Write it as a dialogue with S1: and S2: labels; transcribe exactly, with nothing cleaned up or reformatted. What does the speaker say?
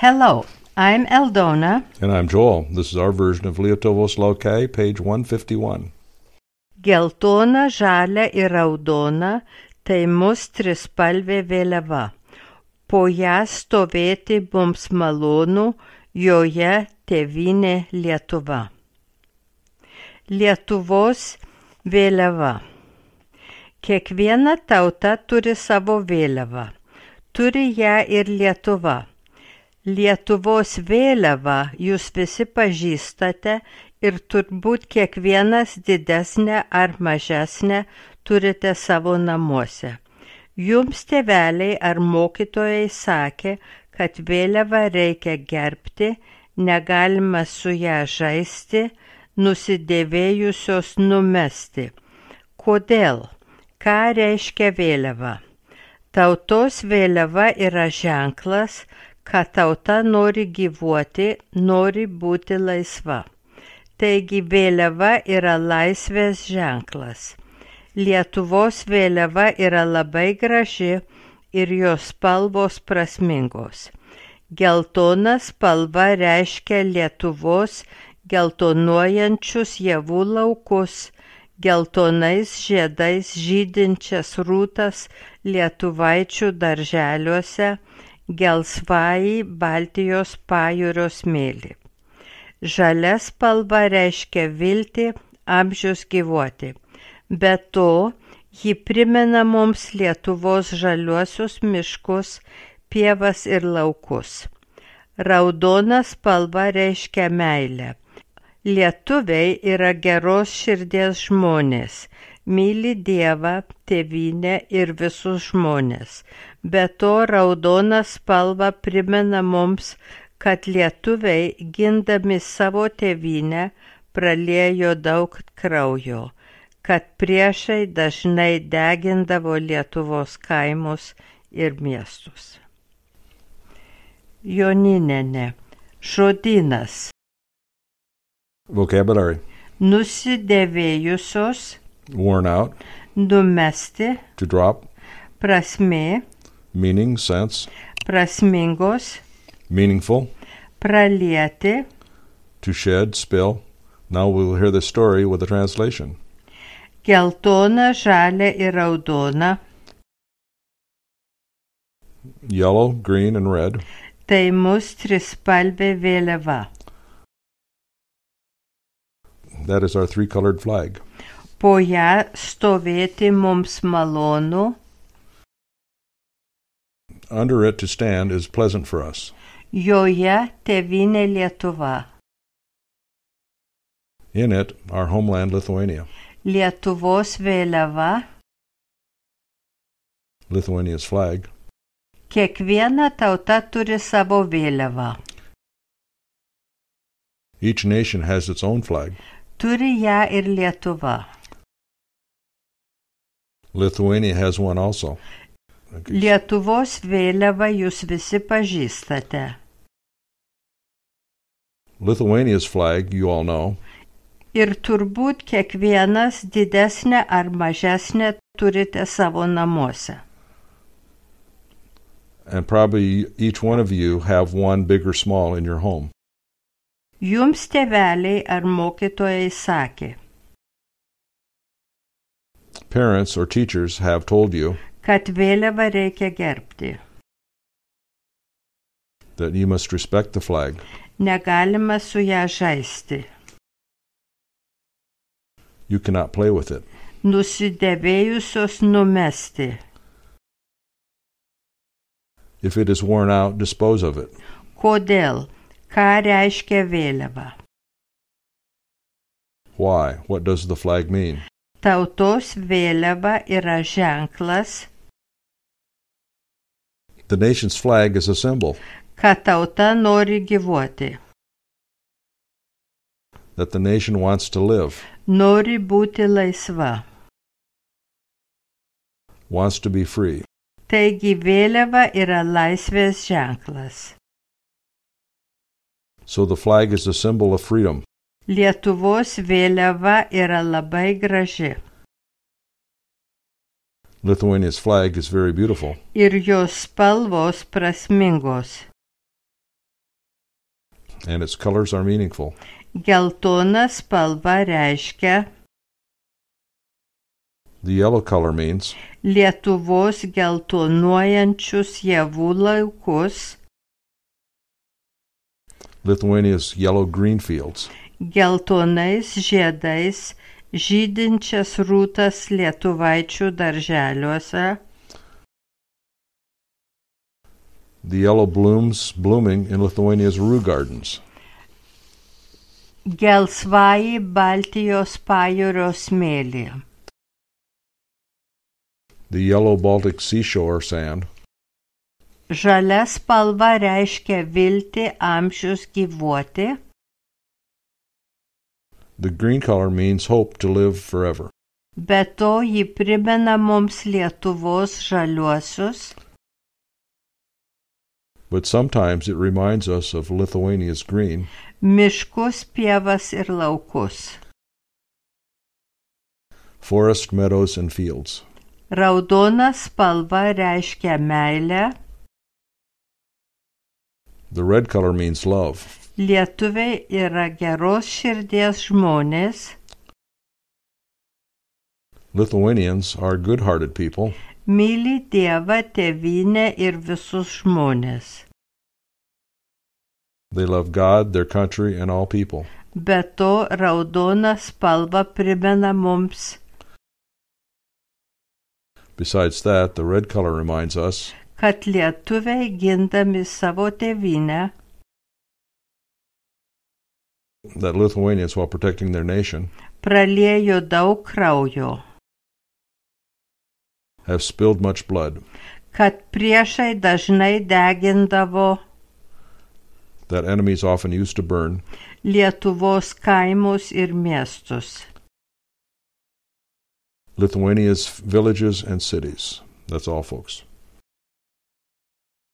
S1: Hello, I'm Eldona.
S2: And I'm Joel. This is our version of Lietuvos laukai, page one fifty-one.
S1: Geltona, žalia ir raudona – tai mūsų trispalvė vėliava. Po ją stovėti mums malonu, joje tėvynė Lietuva. Lietuvos vėliava. Kiekviena tauta turi savo vėliavą. Turi ją ir Lietuva. Lietuvos vėliavą jūs visi pažįstate ir turbūt kiekvienas didesnę ar mažesnę turite savo namuose. Jums tėveliai ar mokytojai sakė, kad vėliavą reikia gerbti, negalima su ją žaisti, nusidėvėjusios numesti. Kodėl? Ką reiškia vėliava? Tautos vėliava yra ženklas, kad tauta nori gyvuoti, nori būti laisva. Taigi vėliava yra laisvės ženklas. Lietuvos vėliava yra labai graži ir jos spalvos prasmingos. Geltona spalva reiškia Lietuvos geltonuojančius javų laukus, geltonais žiedais žydinčias rūtas lietuvaičių darželiuose, gelsvąjį Baltijos pajūrio smėlį. Žalia spalva reiškia viltį, amžius gyvuoti. Be to, ji primena mums Lietuvos žaliuosius miškus, pievas ir laukus. Raudona spalva reiškia meilę. Lietuviai yra geros širdies žmonės, myli Dievą, tėvynę ir visus žmones. Be to, raudona spalva primena mums, kad lietuviai, gindami savo tėvynę, praliejo daug kraujo, kad priešai dažnai degindavo Lietuvos kaimus ir miestus. Joninienė. Žodynas.
S2: Vocabulary.
S1: Nusidėvėjusios,
S2: Worn out,
S1: numesti,
S2: to drop,
S1: prasmė,
S2: meaning, sense,
S1: prasmingos,
S2: meaningful,
S1: pralieti,
S2: to shed, spill. Now we'll hear the story with a translation.
S1: geltona, žalia ir raudona.
S2: Yellow, green, and red.
S1: Tai mūsų trispalvė vėliava.
S2: That is our three-colored flag.
S1: Po ją stovėti mums malonu.
S2: Under it to stand is pleasant for us.
S1: Joje tėvynė Lietuva.
S2: In it, our homeland Lithuania.
S1: Lietuvos vėliava.
S2: Lithuania's flag.
S1: Kiekviena tauta turi savo vėliavą.
S2: Each nation has its own flag.
S1: Turi ją ir Lietuva.
S2: Lithuania has one also.
S1: Lietuvos vėliavą jūs visi pažįstate.
S2: Lithuania's flag, you all know.
S1: Ir turbūt kiekvienas didesnę ar mažesnę turite savo namuose.
S2: And probably each one of you have one big or small in your home.
S1: Jums tėveliai ar mokytojai sakė,
S2: Parents or teachers have told you
S1: kad vėliavą reikia gerbti.
S2: that you must respect the flag.
S1: Negalima su ją žaisti.
S2: You cannot play with it.
S1: Nusidėvėjusios numesti.
S2: If it is worn out, dispose of it.
S1: Kodėl? Ką reiškia vėliava?
S2: Why? What does the flag mean?
S1: Tautos vėliava yra ženklas,
S2: The nation's flag is a symbol
S1: kad tauta nori gyvuoti,
S2: that the nation wants to live,
S1: nori būti laisva.
S2: wants to be free.
S1: Taigi vėliava yra laisvės ženklas.
S2: So the flag is a symbol of freedom.
S1: Lietuvos vėliava yra labai graži.
S2: Lithuania's flag is very beautiful.
S1: Ir jos spalvos prasmingos.
S2: and its colors are meaningful.
S1: Geltona spalva reiškia
S2: The yellow color means
S1: Lietuvos geltonuojančius javų laukus,
S2: Lithuania's yellow-green fields,
S1: geltonais žiedais žydinčias rūtas lietuvaičių darželiuose,
S2: the yellow blooms blooming in Lithuania's rue gardens,
S1: gelsvąjį Baltijos pajūrio smėlį,
S2: the yellow Baltic seashore sand,
S1: žalia spalva reiškia viltį amžius gyvuoti,
S2: the green color means hope to live forever.
S1: be to ji primena mums Lietuvos žaliuosius,
S2: But sometimes it reminds us of Lithuania's green,
S1: miškus, pievas ir laukus.
S2: forest, meadows, and fields.
S1: Raudona spalva reiškia meilę,
S2: The red color means love.
S1: lietuviai yra geros širdies žmonės,
S2: Lithuanians are good-hearted people.
S1: myli Dievą, tėvynę ir visus žmonės.
S2: They love God, their country, and all people.
S1: Be to, raudona spalva primena mums,
S2: Besides that, the red color reminds us
S1: kad lietuviai gindami savo tėvynę,
S2: that Lithuanians, while protecting their nation,
S1: praliejo daug kraujo,
S2: have spilled much blood,
S1: kad priešai dažnai degindavo
S2: that enemies often used to burn,
S1: Lietuvos kaimus ir miestus.
S2: Lithuania's villages and cities. That's all, folks.